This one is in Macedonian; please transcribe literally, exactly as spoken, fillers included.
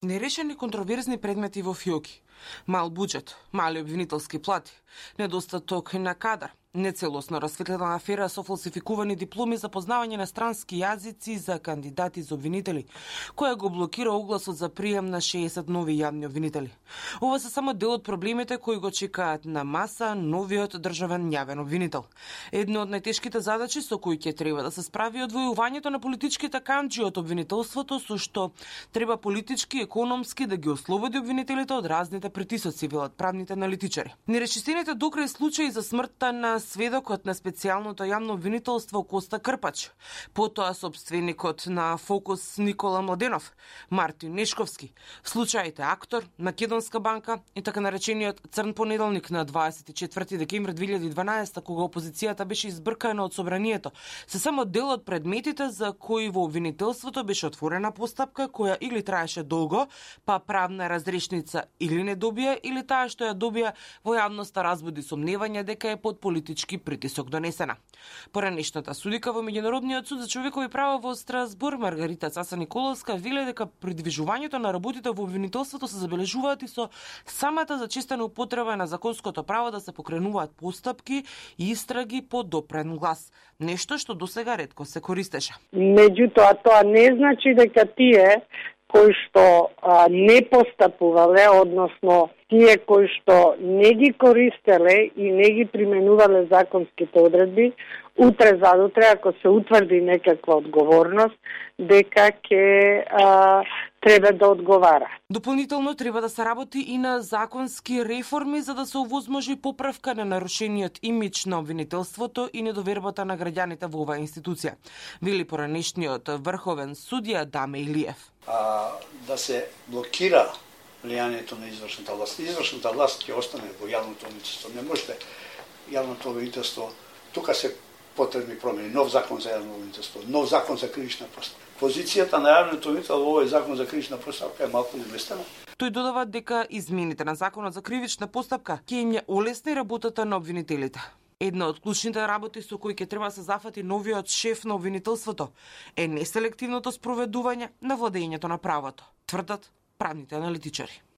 Нерешени контроверзни предмети во ФИОКи, мал буџет, мали обвинителски плати, недостаток на кадар, нецелосно расветлена афера со фалсификувани дипломи за познавање на странски јазици за кандидати за обвинители, која го блокира огласот за прием на шеесет нови јавни обвинители. Ова се само дел од проблемите кои го чекаат на маса новиот државен јавен обвинител. Едно од најтешките задачи со кои ќе треба да се справи одвојувањето на политичките канџи од обвинителството, со што треба политички, економски да ги ослободи обвинителите од разните притисоци, велат правните аналитичари. Нерешистените докрај случаи за смртта на сведокот на специјалното јавно обвинителство Коста Крпач, потоа собственикот на Фокус Никола Младенов, Мартин Нешковски, случаите Актор, Македонска банка и така наречениот Црн понеделник на дваесет и четврти декември две илјади и дванаесета, кога опозицијата беше избркана од собранието, се само дел од предметите за кои во обвинителството беше отворена постапка која или траеше долго, па правна разрешница или не добија, или таа што ја добија во јавноста разбуди сомневање дека е под политички притисок донесена. Поранешната судика во Меѓународниот суд за човекови права во Страсбург Маргарита Цаса Николовска вели дека придвижувањето на работите во обвинителството се забележуваат и со самата зачестена употреба на законското право да се покренуваат постапки и истраги по допрен глас, нешто што досега ретко се користеше. Меѓутоа, тоа не значи дека тие кои што а, не постапувале, односно тие кои што не ги користеле и не ги применувале законските одредби, утре задутре, ако се утврди некаква одговорност, дека ќе а, треба да одговара. Дополнително треба да се работи и на законски реформи за да се овозможи поправка на нарушениот имидж на обвинителството и недовербата на граѓаните во оваа институција, вели поранешниот врховен судија Даме Илиев. А, да се блокира влијанието на извршната власт. Извршната власт ќе остане во јавното обвинителство. Не можете јавното обвинителство, тука се потребни промени, нов закон за јавно обвинителство, нов закон за кривична постапка. Позицијата на јавното обвинителство во овој закон за кривична постапка е малку неместена. Тој додава дека измените на законот за кривична постапка ќе им ја олесни работата на обвинителите. Една од клучните работи со кои ќе треба да се зафати новиот шеф на обвинителството е неселективното спроведување на владењето на правото, тврдат правните аналитичари.